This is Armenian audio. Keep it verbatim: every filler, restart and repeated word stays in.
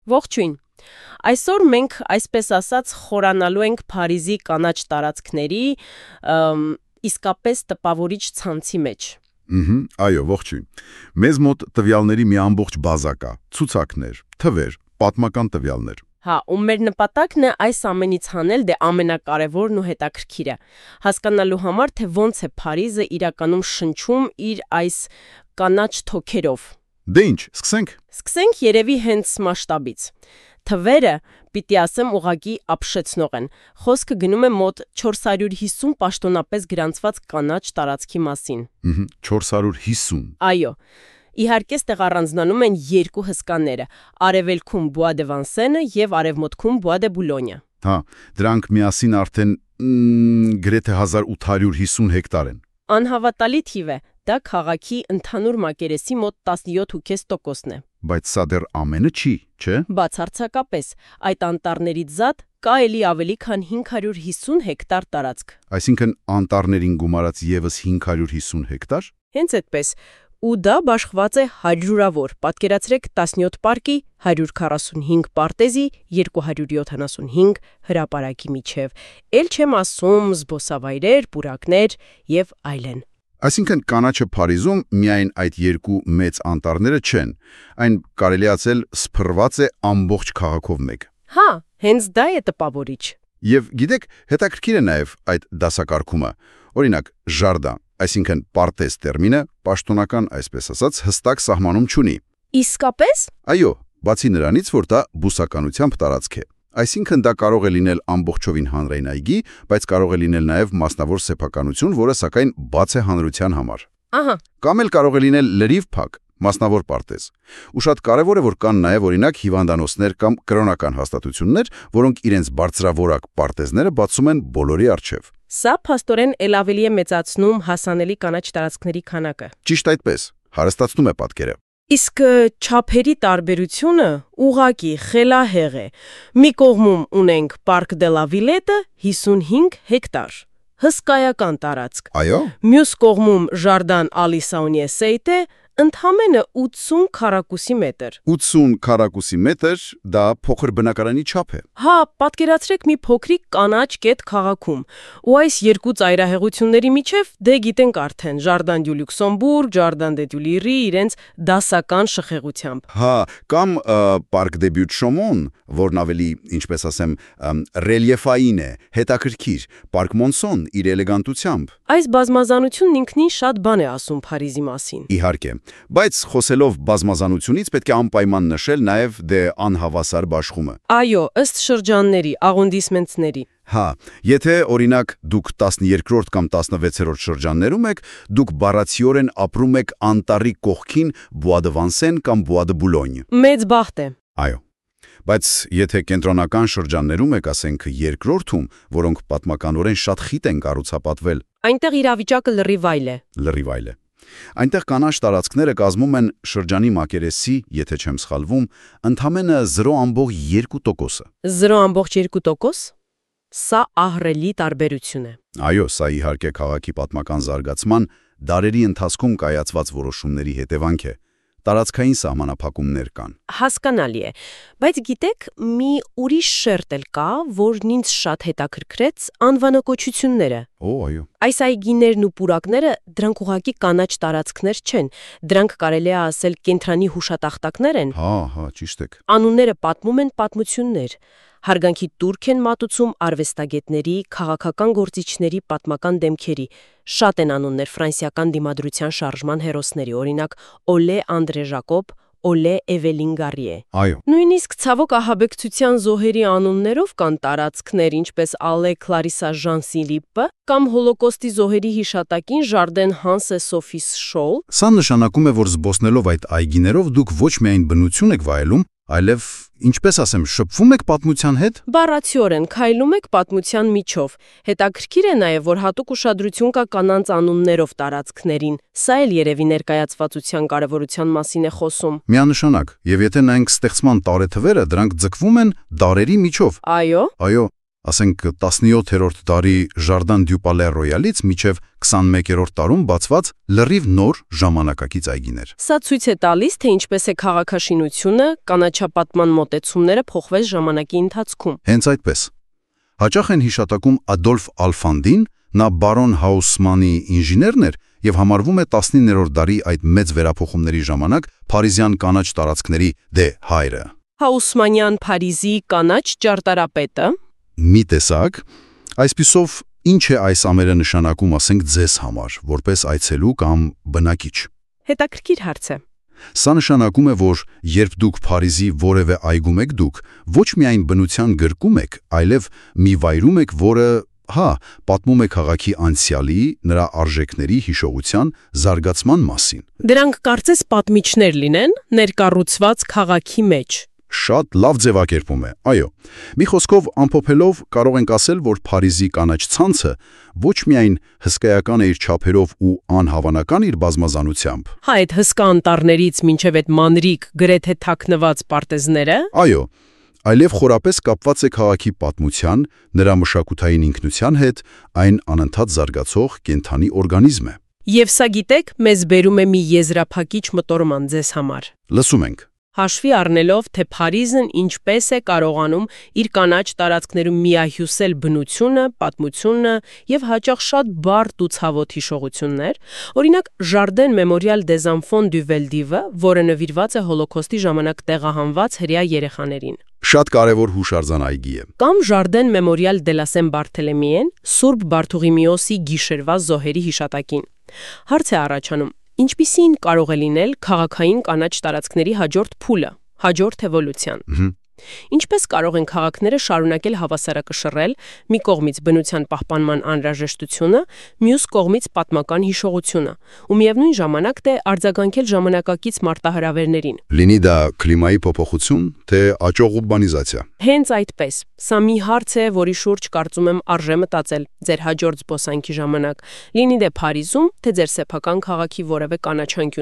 Ողջույն։ Այսօր մենք այսպես ասած խորանալու ենք Փարիզի կանաչ տարածքների իսկապես տպավորիչ ցանցի մեջ։ Ըհը, այո, ողջույն։ Մեզ մոտ տվյալների մի ամբողջ բազա կա, ցուցակներ, թվեր, պատմական տվյալներ։ Հա, ու մեր նպատակն է այս ամենից հանել դե ամենակարևորն ու հետաքրքիրը, հասկանալու համար, թե ոնց է Փարիզը իրականում շնչում իր այս կանաչ թոքերով։ Դե ինչ, սկսենք։ Սկսենք երևի հենց մասշտաբից։ Թվերը, պիտի ասեմ, ուղղակի ապշեցնող են։ Խոսքը գնում է մոտ չորս հարյուր հիսուն պաշտոնապես գրանցված կանաչ տարածքի մասին։ Ըհը, չորս հարյուր հիսուն։ Այո։ Իհարկե, ստեղ առանձնանում են երկու հսկաները՝ արևելքում Bois de Vincennes եւ արևմուտքում Bois de Boulogne։ Հա, դրանք միասին արդեն գրեթե հազար ութ հարյուր հիսուն հեկտար են։ Անհավատալի թիվ է, դա քաղաքի ընդհանուր մակերեսի մոտ տասնյոթ փոքր կես տոկոսն է։ Բայց սա դեռ ամենը չի, չէ՞։ Բացարձակապես, այդ անտառներից զատ կա էլի ավելի քան հինգ հարյուր հիսուն հեկտար տարածք։ Այսինքն անտառներին գումարած եւս հինգ հարյուր հիսուն հեկտար։ Հենց այդպես։ Ու դա բաշխված է հարյուրավոր, պատկերացրեք տասնյոթ պարկի, հարյուր քառասունհինգ պարտեզի, երկու հարյուր յոթանասունհինգ հրապարակի միջև, էլ չեմ ասում զբոսավայրեր, պուրակներ եւ այլն։ Այսինքն կանաչը Փարիզում միայն այդ երկու մեծ անտառները չեն, այն կարելի ասել սփռված է ամբողջ քաղաքով մեկ։ Հա, հենց դա է տպավորիչ։ Եվ գիտեք, հետաքրքիր է նաեւ այդ դասակարգումը։ Օրինակ, ժարդան, այսինքն պարտեզ տերմինը պաշտոնական, այսպես ասած, հստակ սահմանում չունի։ Իսկապես։ Այո, բացի նրանից, որ դա բուսականությամբ տարածք է։ Այսինքն դա կարող է լինել ամբողջովին հանրային այգի, բայց կարող է լինել նաև մասնավոր սեփականություն, որը սակայն բաց է հանրության համար։ Ահա։ Կամ էլ կարող է լինել լրիվ փակ, մասնավոր պարտեզ։ Ու շատ կարևոր է, որ կան նաև օրինակ հիվանդանոցներ կամ կրոնական հաստատություններ, որոնք իրենց բարձրավորակ պարտեզները բացում են բոլորի առջև։ Սա փաստորեն ել ավելի է մեծացնում հասանելի կանաչ տարածքների քանակը։ Ճիշտ այդպես, հարստացնում է պատկերը։ Իսկ չափերի տարբերությունը ուղղակի խելահեղ է։ Մի կողմում ունենք Parc de la Villette հիսունհինգ հեկտար, հսկայական տարածք։ Այո։ Մյուս կողմում Jardin à l'Issaunier-Seite ընդամենը ութսուն քառակուսի մետր։ ութսուն քառակուսի մետր, դա փոքր բնակարանի չափ է։ Հա, պատկերացրեք մի փոքրիկ կանաչ կետ քաղաքում։ Ու այս երկու ծայրահեղությունների միջև դե գիտենք արդեն Jardin du Luxembourg, Jardin de Tuileries իրենց դասական շխեղությամբ։ Հա, կամ Parc des Buttes-Chaumont, որն ավելի, ինչպես ասեմ, ռելիեֆային է, հետաքրքիր, Parc Monceau իր էլեգանտությամբ։ Այս բազմազանությունն ինքնին շատ բան է ասում Փարիզի մասին։ Իհարկե, բայց խոսելով բազմազանությունից պետք է անպայման նշել նաև դե անհավասար բաշխումը։ Այո, ըստ շրջանների, աղոնդիսմենտների։ Հա, եթե օրինակ դուք տասներկրորդ կամ տասնվեցերորդ շրջաններում եք, դուք բառացիորեն ապրում եք անտառի կողքին Bois de Vincennes կամ Bois de Boulogne։ Մեծ բախտ է։ Այո։ Բայց եթե կենտրոնական շրջաններում եք, ասենք երկրորդում, որոնք պատմականորեն շատ խիտ են կառուցապատվել, այնտեղ իրավիճակը լրիվ այլ է։ Լրիվ այլ է։ Այնտեղ կանաչ տարածքները կազմում են շրջանի մակերեսի, եթե չեմ սխալվում, ընդամենը զրո ամբողջ երկու տոկոսը։ զրո ամբողջ երկու տոկոս։ Սա ահռելի տարբերություն է։ Այո, սա իհարկե քաղաքի պատմական զարգացման դարերի ընթացքում կայացված որոշումների հետևանք է։ Տարածքային սահմանափակումներ կան։ Հասկանալի է, բայց գիտեք, մի ուրիշ շերտ էլ կա, որն ինձ շատ հետաքրքրեց, անվանակոչությունները։ Օ, այո։ Այս այգիներն ու պուրակները դրանք ուղղակի կանաչ տարածքներ չեն, դրանք կարելի է ասել կենտրոնի հուշատախտակներ են։ Հա, հա, ճիշտ եք։ Անունները պատմում են պատմություններ։ Հարգանքի տուրք են մատուցում արվեստագետների, քաղաքական գործիչների պատմական դեմքերի։ Շատ են անուններ ֆրանսիական դիմադրության շարժման հերոսների, օրինակ Օլե Անդրե Ժակոբ, Օլե Էվելին Գարիե։ Այո։ Նույնիսկ ցավոք ահաբեկչության զոհերի անուններով կան տարածքներ, ինչպես Ալե Կլարիսա Ժան-Սիլիպը կամ Հոլոկոստի զոհերի հիշատակին Jardin Hans Sophie Scholl։ Սա նշանակում է, որ զբոսնելով այդ այգիներով դուք ոչ միայն բնություն եք վայելում, այլև, ինչպես ասեմ, շփվում եք պատմության հետ։ Բառացիորեն քայլում եք պատմության միջով։ Հետաքրքիր է նաև, որ հատուկ ուշադրություն կա կանանց անուններով տարածքներին։ Սա էլ երևի ներկայացվածության կարևորության մասին է խոսում։ Միանշանակ, եւ եթե նայենք ստեղծման տարեթվերը, դրանք ձգվում են դարերի միջով։ Այո։ Այո, ասենք տասնյոթերորդ դարի Ժարդան դյու Պալե Ռոյալից մինչև քսանմեկերորդ դարում բացված լրիվ նոր ժամանակակից այգիներ։ Սա ցույց է տալիս, թե ինչպես է քաղաքաշինությունը, կանաչապատման մոտեցումները փոխվեց ժամանակի ընթացքում։ Հենց այդպես։ Հաճախ են հիշատակում Ադոլֆ Ալֆանդին, նա բարոն Հաուսմանի ինժեներն էր եւ համարվում է տասնիններորդ դարի այդ մեծ վերափոխումների ժամանակ Փարիզյան կանաչ տարածքների դե հայրը։ Հաուսմանյան Փարիզի կանաչ ճարտարապետը։ Մի տեսակ, այսպիսով ինչ է այս ամերը նշանակում, ասենք ձեզ համար, որպես այցելու կամ բնակիչ։ Հետաքրքիր հարց է։ Սա նշանակում է, որ երբ դուք Փարիզի որևէ այգում եք դուք, ոչ միայն բնության գրկում եք, այլև մի վայրում եք, որը, հա, պատմում է քաղաքի անցյալի, նրա արժեքների, հիշողության, զարգացման մասին։ Դրանք կարծես պատմիչներ լինեն ներկառուցված քաղաքի մեջ։ Շատ լավ ձևակերպում է, այո։ Մի խոսքով ամփոփելով կարող ենք ասել, որ Փարիզի կանաչ ցանցը ոչ միայն հսկայական է իր չափերով ու անհավանական իր բազմազանությամբ։ Հա, այդ հսկա անտառներից մինչև այդ մանրիկ գրեթե թաքնված պարտեզները։ Այո, այլև խորապես կապված է քաղաքի պատմության, նրա մշակութային ինքնության հետ, այն անընդհատ զարգացող կենդանի օրգանիզմ է։ Եվ սա գիտեք, մեզ բերում է մի եզրափակիչ մտորման ձեզ համար։ Լսում ենք։ Հաշվի առնելով, թե Փարիզն ինչպես է կարողանում իր կանաչ տարածքներում միահյուսել բնությունը, պատմությունը եւ հաճախ շատ բարդ ու ցավոտ հիշողություններ, օրինակ Jardin Memorial des Enfants du Vel-d'Hiv, որը նվիրված է Հոլոքոստի ժամանակ տեղահանված հրեա երեխաներին։ Շատ կարևոր հուշարձան այգի է։ Կամ Jardin Memorial de la Saint-Barthélemy, Սուրբ Բարթուղիմեոսի գիշերվա զոհերի հիշատակին։ Հարց է առաջանում. ինչպիսին կարող է լինել քաղաքային կանաչ տարածքների հաջորդ փուլը, հաջորդ էվոլյուցիան։ Ինչպես կարող են քաղաքները շարունակել հավասարակշռել մի կողմից բնության պահպանման անհրաժեշտությունը, մյուս կողմից պատմական հիշողությունը, ու միևնույն ժամանակ թե արձագանքել ժամանակակից մարտահրավերներին։ Լինի դա կլիմայի փոփոխություն, թե աճող ուրբանիզացիա։ Հենց այդպես։ Սա մի հարց է, որի շուրջ կարծում եմ արժե մտածել ձեր հաջորդ զբոսանքի ժամանակ, լինի դե Փարիզում, թե ձեր սեփական քաղաքի որևէ կանաչանկյուն